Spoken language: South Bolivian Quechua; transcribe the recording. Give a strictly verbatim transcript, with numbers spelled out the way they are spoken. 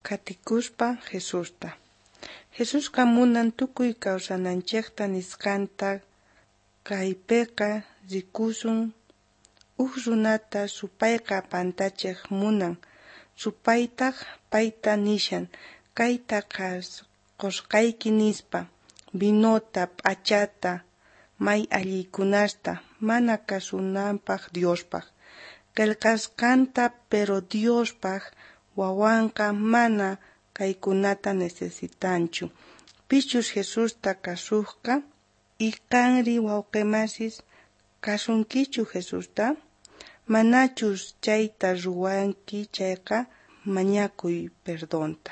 Qhatikuspa Jesusta. Jesusqa munan tukuy kawsananchejta nisqanta Kaypeqa rikusun uj runata supayqa pantachej munan. Supaytaj payta nishan, kayta qosqayki nispa, vinota, p'achata, may alliykunasta, mana kasunanpaj Diospaj qhelqasqanta. Pero Diospaj wawanqa mana kaykunata necesitanchu, pichus Jesusta kasojqa. Y qanri wawqe masis, kasunkichu Jesusta? Manachus chayta ruwanki chayqa, mañakuy perdonta.